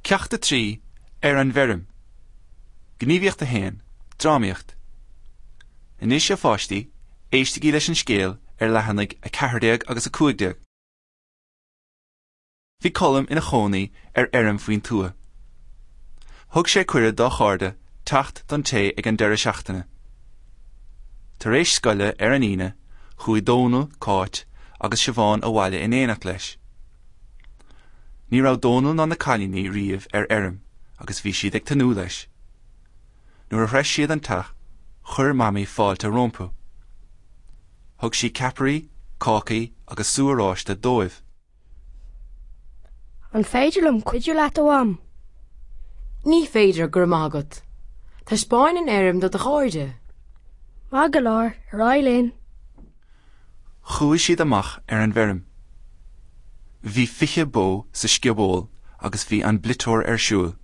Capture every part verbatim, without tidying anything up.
Ceacht a trí, Ar an bhFeirm. Gníomhaíocht a haon, Drámaíocht. Anois a pháistí, éistigí leis an scéal ar leathanaigh a ceathair déag agus a cúig déag. Bhí Colm ina chónaí ar fheirm faoin tuath. Thug sé cuireadh dá chairde teacht don tae ag an deireadh seachtaine. Tar éis scoile ar an Aoine, chuaigh Dónal, Cáit agus Siobhán abhaile in éineacht leis. Ní raibh Dónal ná na cailíní riamh ar fheirm agus bhí siad ag tnúth leis. Nuair a shroich siad an teach, chuir Mamaí fáilte rompu. Thug sí ceapairí, cácaí agus sú oráiste dóibh. An féidir liom cuidiú leat, a Mham? Ní féidir, go raibh maith agat. Taispeáin an fheirm do do chairde. Maith go leor, ar aghaidh linn. Chuaigh siad amach ar an bhfeirm. Bhí fiche bó sa scioból agus bhí an bliteoir ar siúl.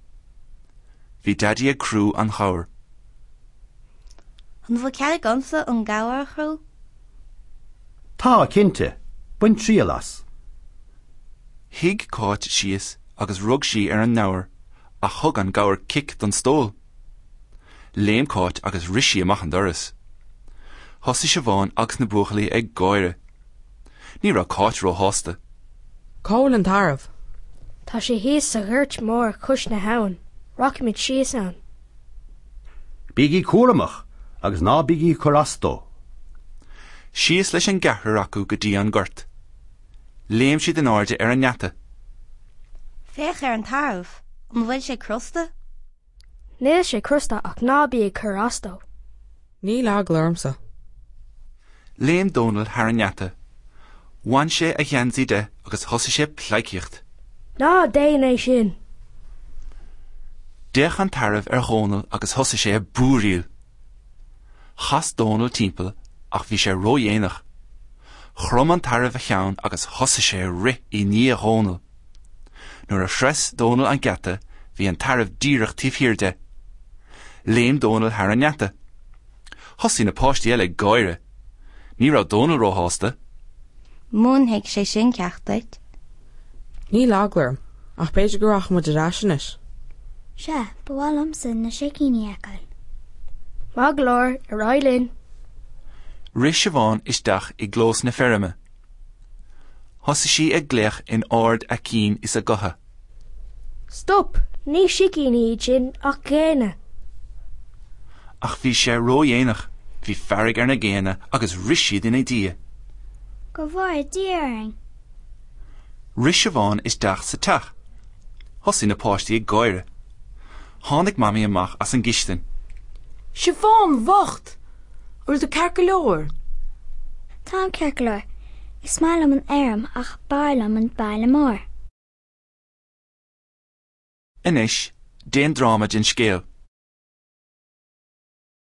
Bhí Daidí ag crú an ghabhair. An bhfuil cead agamsa an gabhar a chrú? Tá, cinnte. Bain triail as. Shuigh Cáit síos agus rug sí ar an ngabhar ach thug an gabhar cic don stól. Léim Cáit agus rith sí amach an doras. Thosaigh Siobhán agus na buachaillí ag gáire. Ní raibh Cáit róshásta. Cá bhfuil an tarbh? Tá sé thíos sa ghort mór cois na habhann. Rachaimid síos ann. Bígí cúramach agus ná bígí ag cur as dó. Síos leis an gceathrar acu go dtí an gort. Léim siad in airde ar an ngeata. Féach ar an tarbh. An bhfuil sé crosta? Níl sé crosta ach ná bí ag cur as dó. Níl eagla ormsa. Léim Dónal thar an ngeata. Bhain sé a gheansaí de agus thosaigh sé ag pleidhcíocht. Ná déan é sin! D'fhéach an tarbh ar Dhónal agus thosaigh sé ag búiríl. Chas Dónal timpeall ach bhí sé ródhéanach. Chrom an tarbh a cheann agus thosaigh sé ag rith i ndiaidh Dhónaill. Nuair a shroich Dónal an geata bhí an tarbh díreach taobh thiar de. Léim Dónal thar an ngeata. Thosaigh na páistí eile ag gáire. Ní raibh Dónal róshásta. Múinfidh sé sin ceacht duit. Níl eagla orm, ach b'fhéidir go rachaidh muid ar ais anois. Sea, ba mhaith liomsa na sicíní a fheiceáil. Maith go leor, ar aghaidh linn. Rith Siobhán isteach i gclós na feirme. Thosaigh sí ag glaoch in ard a cinn is a gutha. Stop! Ní sicíní iad sin ach géanna. Ach bhí sé ródhéanach, bhí fearg ar na géanna agus rith siad ina diaidh. Go bhfóire Dia orainn! Rith Siobhán isteach sa teach. Thosaigh na páistí ag gáire. Tháinig Mamaí amach as an gcistin. Siobhán bhocht! An bhfuil tú ceart go leor? Táim ceart go leor. Is maith liom an fheirm ach b'fhearr liom an baile mór. Anois, déan dráma den scéal.